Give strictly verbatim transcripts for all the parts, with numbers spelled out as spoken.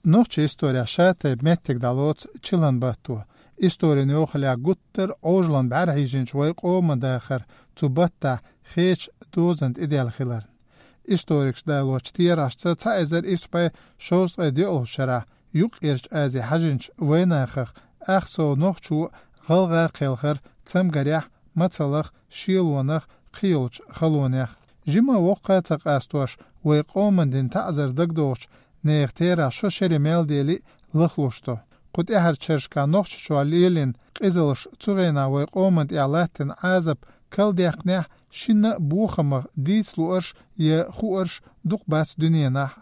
Нохчийн исторехь шатайпа меттиг дӀалоцу чиллан батто. Историн йохаллехь гуттар а Ӏожаллин бӀаьра хьийжинчу вайн къоман дахар цу баттахь хечу дозанна тӀедеана хиларна. Историкаша далочу терахьашца, цхьа эзар исс бӀе шовзткъе доьалгӀачу шарахь Юккъерчу Азе хьажинчу вайнахах ах сов нохчо гӀалгӀа кхелхира цамгарехь, мацаллех, шелонех, кхин йолчу халонех. Жимма воккха а ца къастош, вайн къоман дина таӀзар дагадогӀучу нехан терахь шо шаре мел дели а лахлуш ду. Кху тӀаьхьарчу шерашкахь Нохчийчохь лелийна къизаллаш цу хенахь вайн къоман тӀехь латтийна Ӏазап калдаьккхинехь, шинна а бохамах дийца луурш я хууш дукха бац дуьненахь.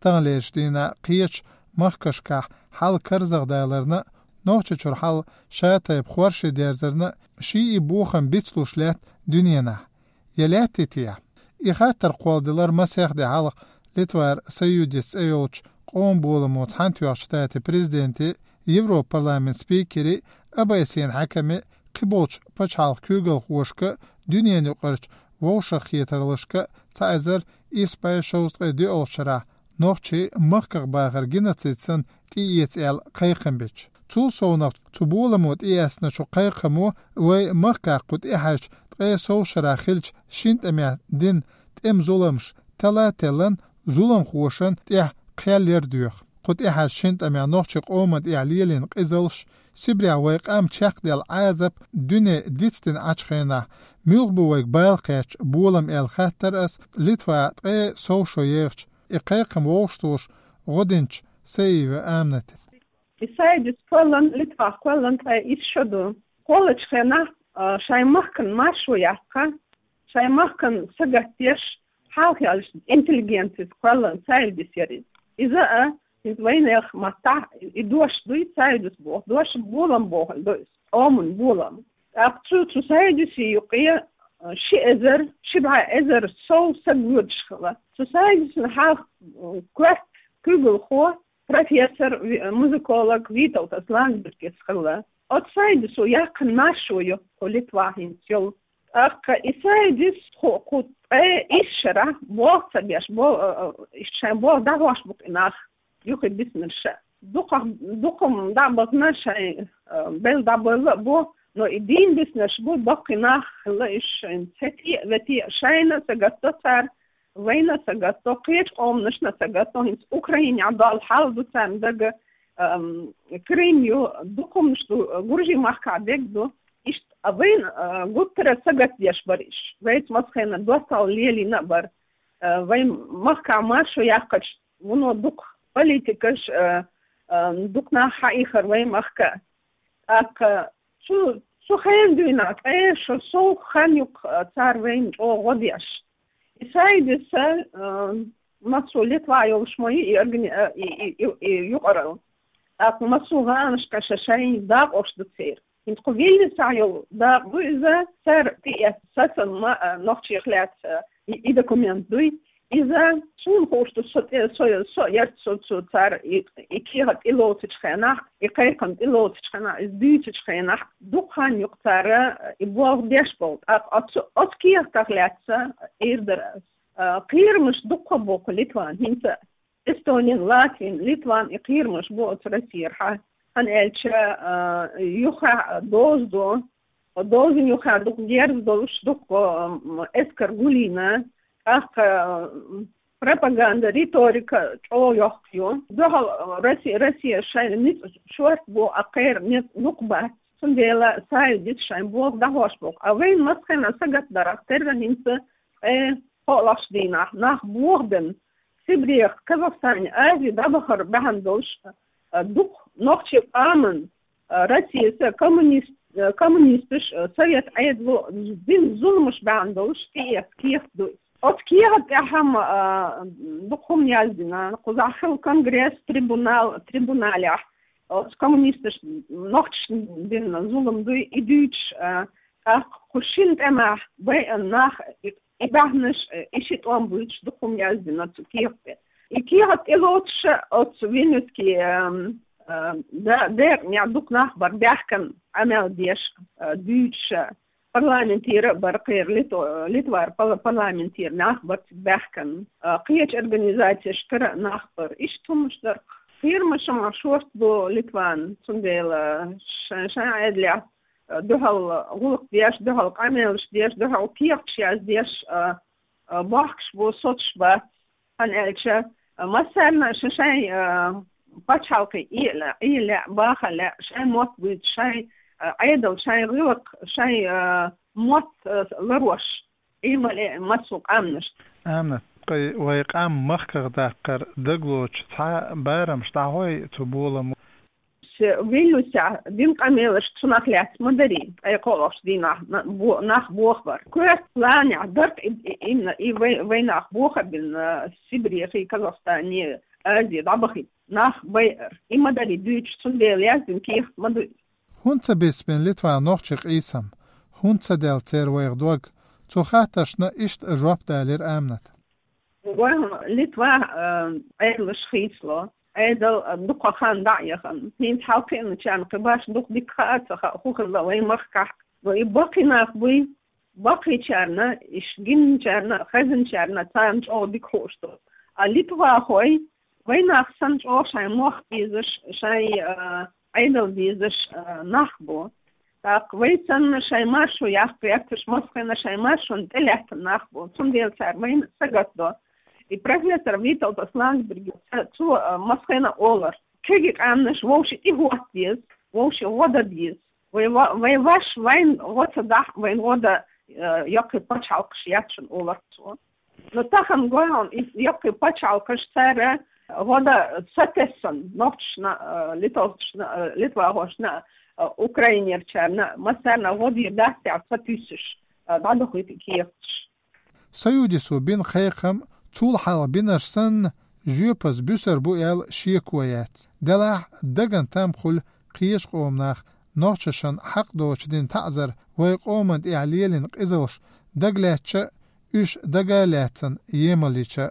Таханлерчу дийнахь кхечу махкашкахь хьал карзахдаларна а, Нохчийчуьра хьал шатайпа хорша дерзарна а ший и бохам бицлуш лаьтта дуьненахь. Я лаьттий те? И хаттар кхолладелира масех де хьалха Литвара Союдис цӀе йолчу къоман боламо Цхьаьнатоьхначу Штатийн президенте, Европарламентан спикере, ОБСЕ-н хьаькаме, кхиболчу пачхьалкхан куьйгалхошка, дуьненаюкъарчу вовшахкхетараллашка, цхьа эзар исс бӀе шовзткъе доьалгӀачу шарахь нохчийн махках бахар геноцид санна тӀеэца аьлла кхайкхам бича. Цул совнаха, цу боламо тӀеэцначу кхайкхамо вайн махкахь кху тӀаьхьарчу ткъе сов шарахь хиллачу шина тӀамехь дина тӀеман зуламаш тала а теллина, зуламхошна тӀехь кхел яр доьху. Кху тӀаьхьарчу шина тӀамехь нохчийн къоман тӀехь лелийна къизаллаш, Сибрехь вайн къам чекхдаьлла Ӏазап дуьне дицдина Ӏачу хенахь, муьлха бу вайга бала кхаьчна болам аьлла хаттар ас Литвахь ткъе сов шо ехачу и кхайкхам вовшахтухуш гӀо динчу Саиева Аминате. И Союзис кхоьллина, Литвахь кхоьллина ткъе исс шо ду. Кхоллачу хенахь, а, шайн махкан маршо яккха, шайн махкан сагатдеш, хьалха аьлча, интеллигенцис кхоьллина Союзис яра иза. Иза а, иза вайнехан маттахь и дош дуй, Союзис боху дош, болам боху ду иза, къоман болам. ТӀаккха цу, цу Союзис юккъе, а, ши эзар, ши бӀе эзар сов саг воьдуш хилла. Цу Союзисна хьалха, м, коьрта куьйгалхо, профессор, ви-, музыколог Виталдас Ландсбергис хилла. Оцу Союзисо яккхина маршо ю кху Литвахь хӀинца йолу. ТӀаккха и Союзис кху, кху ткъе исс шарахь болх ца беш, бо-, а, а, иштта шайн болх дӀахьош бу-кх и нах, юхабиснарш а. Дукха, дукха-м дӀа а бахана шайн, а, белла дӀабевлла а бу, но и дийна биснарш бу, баккхий нах хилла уьш шайн, цхьа те а, вете а шайна а сагатдо цара, вайна а сагатдо, кхечу къоманашна а сагатдо, хӀинца Украинехь долу хьал ду царна дага, ам, Крым ю, дукха хӀуманаш ду, Гуржийн махкахь дерг ду. Иштта, а вайна, а, гуттара а сагатдеш бара уьш. Вайца массо хенахь доттагӀалла лелийна а бара. А, вайн махкахь маршо яккхачу вуно дукха политикаш, а, а, дукха нах хьаихира вайн махка. ТӀаккха цу, цу хенан дуьйна ткъе шо сов хан ю-кх, а, цара вайна чӀогӀа гӀо деш. И Союзис, а, массо Литвахь йолуш ма ю и органи-, а, и, и, и, и юкъаралла. ТӀаккха массо гӀаланашкахь ша-шайн дакъош ду церан. ХӀинца кху Вильнюсехь йолу дакъа ду иза, цара тӀеэцна сацам ма, а, нохчех лаьцна, а, и, и документ дуй. Иза суна хууш ду, со тӀе, со, со ярца со цу цара и, и кехат тӀелоцучу хенахь, и кхайкхам тӀелоцучу хенахь, иза дуьйцучу хенахь, дукха хан ю-кх цара и болх беш болу. ТӀаккха оцу, оцу кехатах лаьцна эр дара ас. А, кхерамаш дуккха бу-кх Литван, хӀинца Эстонин, Латвин, Литван и кхерамаш бу оцу Россера хьа. ХӀунда аьлча, а, юххехь доза ду, дозанна юххехь дукха герз долуш, дукха, м, эскар гулйина, тӀаккха, м, пропаганда, риторика чӀогӀа йоккха ю. Дуьхьал Росси-, Россия шайна ницкъ шорта бу, а кхеран ницкъ дукха бац. Цундела Союзис шайн болх дӀахьош бу-кх. А вайна массо хенахь сагатдарх терра хӀинца ткъе кхоалгӀачу дийнахь нах бохабенна, Сибрех, Казахстане, Азе дӀабахар бахьана долуш, а, дукха нохчийн къоман, а, Россица коммунист-, а, коммунисташ, а, совет Ӏедало дина зуламаш бахьана долуш тӀеэцна кехат ду. Оцу кехат тӀехь-м, а, дукха хӀума яздина. Кхузахь хилла конгресс, трибунал, трибуналехь оцу коммунисташ нохчашна дина зулам дуй, и дуьйцуш, а, тӀаккха кху шина тӀамехь байъина нах и, и баьхнаш, и ши тӀом буьйцуш дукха хӀума яздина цу кехат тӀе. И кехат тӀелоцуш оцу Вильнюсский, ам, а, да-, декъанехь дукха нах бара баьхкина, Ӏамал деш, а, дуьйцуш. Парламентера а бара кхеран, Литва-, Литвара пала-, парламентера нах бара цига баьхкина. А, кхечу организацешкара а нах бара. Иштта хӀуманаш дара-кх. Кхера Шума шорта бу Литван, цундела шайн, шайн Ӏедалехь, а, дуьхьал гӀуллакх деш, дуьхьал къамелаш деш, дуьхьал кехаташ яздеш, а, а, бохкуш бу, соцуш бац. ХӀана аьлча, а, массарна а шайн, шайн, а, пачхьалкхе иа лаьа, Ӏе лаьа, баха лаьа, шайн мотт буьйцу, шайн, а, Ӏедал, шайн гӀиллакх, шайн, а, мотт, а, ларош. Ӏе ма лаьа массо а къаьмнашна. Аминат, кхы вай къам махках даккхар дагалоцуш цхьа барамаш дӀахьой цу боламо? Ше Вильнюсехь дина къамелаш цунах лаьцна ма дарий, ткъе кхоалгӀачу дийнахь на-, бо-, нах бохабар. Коьрта планехь дарх и, и, имна, и вай, вай нах бохабина, Сибрех и, Казахстане, Азе дӀабахийта нах байар. И ма дарий дуьйцуш, цундела яздина кехат ма ду. ХӀунда ца бисбина Литван нохчий къийсам? ХӀунда ца делла церан вайх дог? Цу хаттаршна иштта жоп далира Аминат. Вайн Литва, а, Ӏедалш хийцало, Ӏедал, а, дукха хан дӀа а яхана. ХӀинца хьалкхиъначарна кхин башха дукха дика хаа а ца хаьа, хӀун хилла вайн махкахь. Но и баккхий нах буй, баккхийчарна, иш гинначарна, хезначарна царна чӀогӀа дика хууш ду. А литвахой, вай нах санна чӀогӀа шайн мохк безаш, шайн, а, Ӏедал безаш, а, нах бу. ТӀаккха вай санна шайн маршо яккха гӀерташ, массахана шайн маршонна тӀелаьттина нах бу. Цундела цара вайна сагатдо. И профессор Виталдас Ландсбергис цо, а, массахана олар: кегий къаьмнаш вовши тӀехӀотта деза, вовши гӀо дан деза. Вай ва-, вай ваш вайн гӀо ца дахь, вайн гӀо дан, а, йоккхий пачхьалкхаш яц шуна, олар цо. Но тахана гой хьуна, и йоккхий пачхьалкхаш, цара гӀо дан сатессан, нохчашна, а, литовцашна, а, литвахошна, а, украинерчарна, массарна гӀо дийр дац тӀехь ца туьйсуш, а, дӀадохуьйту кехаташ. Союзо бина кхайкхам, цул хьалха бинарш санна, жоьпаза буьсур бу аьлла шеко яц. Делахь дагна там хуьлу кхечу къоман наха нохчашна хьакъ доцуш дина таӀзар, вай къоман тӀехь лелийна къизалш дагалаьцча а, уьш дага а лаьцна емал йича а.